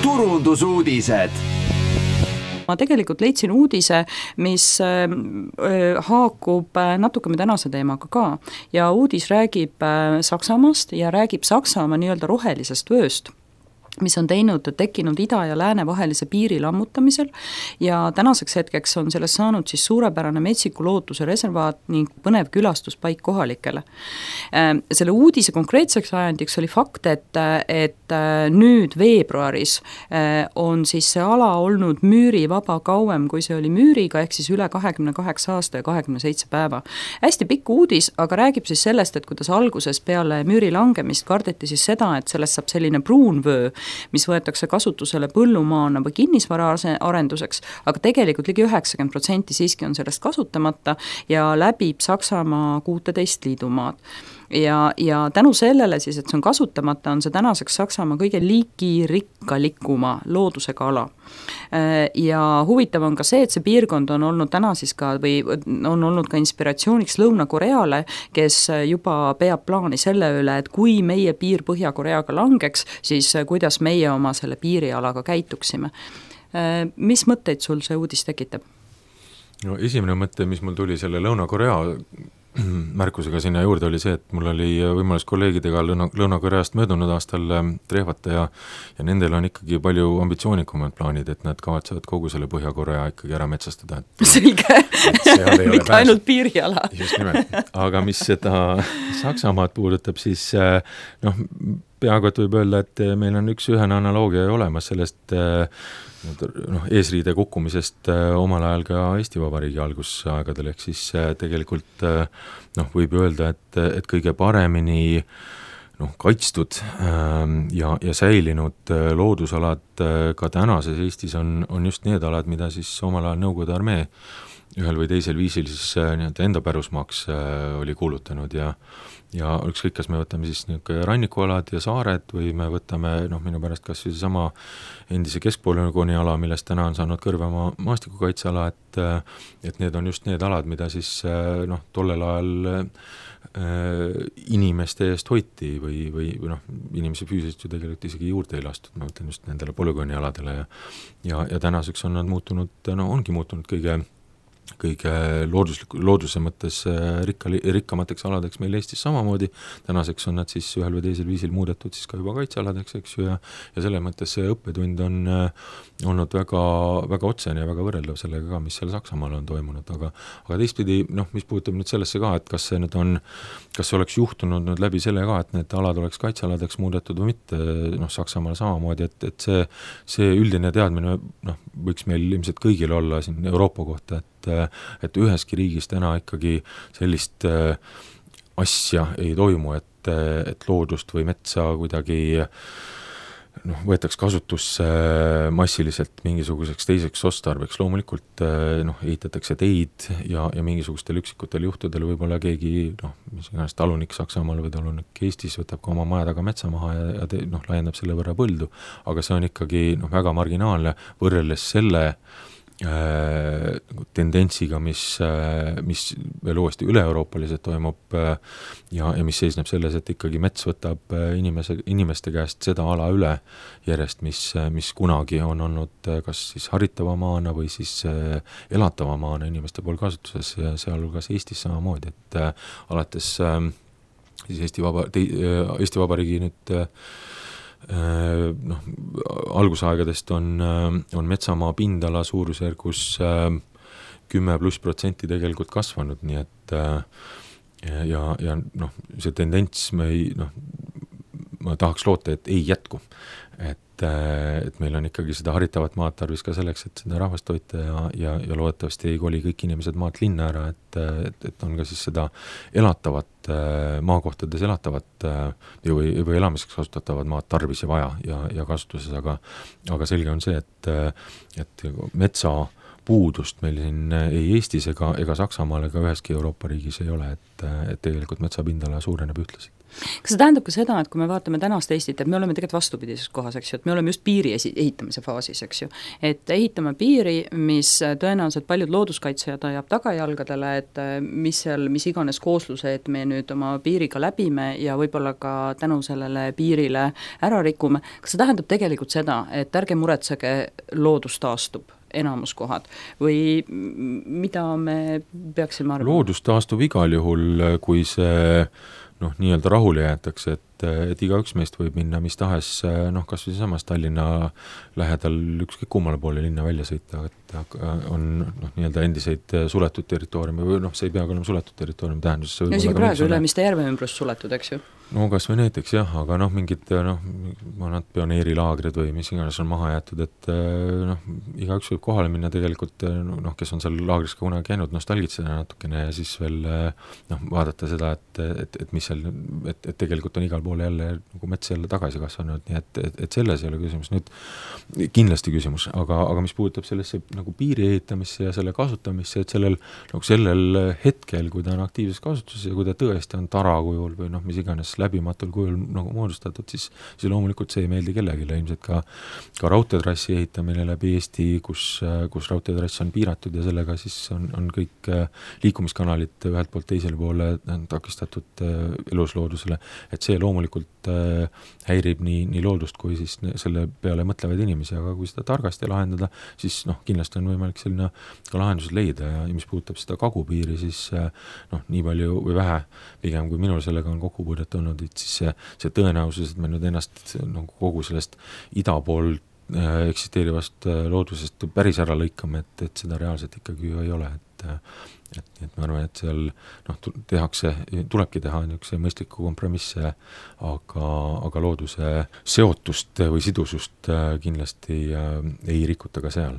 turundusuudised. Ma tegelikult leidsin uudise, mis haakub natuke me tänase teemaga ka. Ja uudis räägib Saksamaast ja räägib Saksamaa nii-öelda rohelisest vööst, mis on tekkinud ida ja lääne vahelise piiri lammutamisel ja tänaseks hetkeks on sellest saanud siis suurepärane metsiku looduse reservaat ning põnev külastuspaik kohalikele. Selle uudise konkreetseks ajendiks oli fakt, et nüüd veebruaris on siis see ala olnud müürivaba kauem, kui see oli müüriga, ehk siis üle 28 aasta ja 27 päeva. Hästi pikk uudis, aga räägib siis sellest, et kuidas alguses peale müüri langemist kardeti siis seda, et sellest saab selline pruunvöö, mis võetakse kasutusele põllumaana või kinnisvara arenduseks, aga tegelikult ligi 90% siiski on sellest kasutamata ja läbib Saksamaa 16 liidumaad. Ja tänu sellele siis, et see on kasutamata, on see tänaseks Saksamaa kõige liigirikkalikuma loodusega ala. Ja huvitav on ka see, et see piirkond on olnud täna siis ka või on olnud ka inspiratsiooniks Lõuna-Koreale, kes juba peab plaani selle üle, et kui meie piir Põhja-Koreaga langeks, siis kuidas meie oma selle piirialaga käituksime. Mis mõtteid sul see uudis tekitab? No, esimene mõte, mis mul tuli selle Lõuna-Korea märkusega sinna juurde, oli see, et mul oli võimalus kolleegidega Lõuna-Koreast möödunud aastal trehvata ja nendel on ikkagi palju ambitsioonikumad plaanid, et nad kavatsevad kogu selle Põhja-Korea ikkagi ära metsastada. Selge, mitte ainult piiriala. Just nimelt, aga mis seda Saksamaad puudutab, siis peaaegu et võib öelda, et meil on üks ühene analoogia olemas sellest eesriide kukkumisest omal ajal ka Eesti Vabariigi algusaegadel, ehk siis tegelikult võib öelda, et kõige paremini kaitstud ja säilinud loodusalad ka tänases Eestis on just need alad, mida siis omal ajal Nõukogude armee ühel või teisel viisil siis enda pärusmaaks oli kuulutanud ja ükskõik, kas me võtame siis rannikualad ja saared või me võtame minu pärast kas või sama endise keskpolügooni ala, millest täna on saanud Kõrvemaa maastikukaitseala, et need on just need alad, mida siis tollel ajal inimeste eest hoiti või inimese füüsiliselt ju tegelikult isegi juurde ei lastud, ma mõtlen just nendele polügoonialadele ja tänaseks on nad muutunud, ongi muutunud kõige looduse mõttes rikkamateks aladeks meil Eestis samamoodi. Tänaseks on nad siis ühel või teisel viisil muudetud siis ka juba kaitsealadeks, eks ju, ja selles mõttes see õppetund on olnud väga, väga otsene ja väga võrreldav sellega ka, mis seal Saksamaal on toimunud, aga teistpidi, mis puudutab nüüd sellesse ka, et kas see oleks juhtunud nüüd läbi selle ka, et need alad oleks kaitsealadeks muudetud või mitte, Saksamaal samamoodi, et see üldine teadmine võiks meil ilmselt kõigil olla siin Euroopa kohta, et üheski riigis täna ikkagi sellist asja ei toimu, et loodust või metsa kuidagi võetaks kasutusse massiliselt mingisuguseks teiseks ostarbeks. Loomulikult ehitatakse teid ja mingisugustel üksikutel juhtudel võib-olla keegi, mis iganes talunik Saksamaal või talunik Eestis võtab ka oma maja taga metsa maha ja laiendab selle võrra põldu, aga see on ikkagi väga marginaalne võrreldes selle tendentsiga, mis veel uuesti üle-euroopaliselt toimub ja mis seisneb selles, et ikkagi mets võtab inimeste käest seda ala üle järjest, mis kunagi on olnud kas siis haritava maana või siis elatava maana inimeste pool kasutuses ja sealhulgas Eestis samamoodi, et alates siis Eesti Vabariigi nüüd algusaegadest on metsamaa pindala suurusjärgus 10+% tegelikult kasvanud, nii et ja see tendents ma tahaks loota, et ei jätku, et meil on ikkagi seda haritavat maad tarvis ka selleks, et seda rahvast hoita ja loodetavasti ei koli kõik inimesed maalt linna ära, et on ka siis seda elatavat maakohtades elatavat või elamiseks kasutatavat maad tarvis ja vaja ja kasutuses, aga selge on see, et metsa puudust meil siin ei Eestis ega Saksamaal ega üheski Euroopa riigis ei ole, et tegelikult metsapindala suureneb ühtlaselt. Kas see tähendab ka seda, et kui me vaatame tänast Eestit, et me oleme tegelikult vastupidises kohas, eks ju, et me oleme just piiri ehitamise faasis, eks ju, et ehitame piiri, mis tõenäoliselt paljud looduskaitsjad ajab tagajalgadele, et mis iganes koosluse, et me nüüd oma piiriga läbime ja võib-olla ka tänu sellele piirile ära rikume, kas see tähendab tegelikult seda, et ärge muretsege, loodus taastub enamus kohad või mida me peaksime arvama? Loodus taastub igal juhul, kui see nii-öelda rahule jäetakse, et igaüks meist võib minna mis tahes, kas või samas Tallinna lähedal ükskõik kummale poole linna välja sõita, et on nii-öelda endiseid suletud territooriumi või see ei peagi olema suletud territooriumi tähenduses. No isegi praegu Ülemiste järve ümbrus suletud, eks ju? No kas või näiteks jah, aga mingid vanad pioneerilaagrid või mis iganes on maha jäetud, et igaüks võib kohale minna tegelikult, kes on seal laagris ka kunagi käinud, nostalgitseda natukene ja siis veel vaadata seda, et mis seal, et tegelikult on igal pool jälle nagu mets jälle tagasi kasvanud, nii et selles ei ole küsimus. Nüüd kindlasti küsimus, aga mis puudutab sellesse nagu piiri ehitamisse ja selle kasutamisse, et sellel hetkel, kui ta on aktiivses kasutuses ja kui ta tõesti on tara kujul või mis iganes läbimatul kujul nagu moodustatud, siis loomulikult see ei meeldi kellelegi, ilmselt ka raudteetrassi ehitamine läbi Eesti, kus raudteetrass on piiratud ja sellega siis on kõik liikumiskanalid ühelt poolt teisele poole takistatud elusloodusele, et see loomulikult häirib nii loodust kui siis selle peale mõtlevaid inimesi, aga kui seda targasti lahendada, siis kindlasti on võimalik selline ka lahendused leida ja mis puudutab seda kagupiiri, siis nii palju või vähe, pigem kui minul sellega on kokkupuudet olnud, et siis see tõenäosus, et me nüüd ennast kogu sellest ida pool eksisteerivast loodusest päris ära lõikame, et seda reaalselt ikkagi ju ei ole, et ma arvan, et seal tulebki teha niisuguse mõistliku kompromisse, aga looduse seotust või sidusust kindlasti ei rikuta ka seal.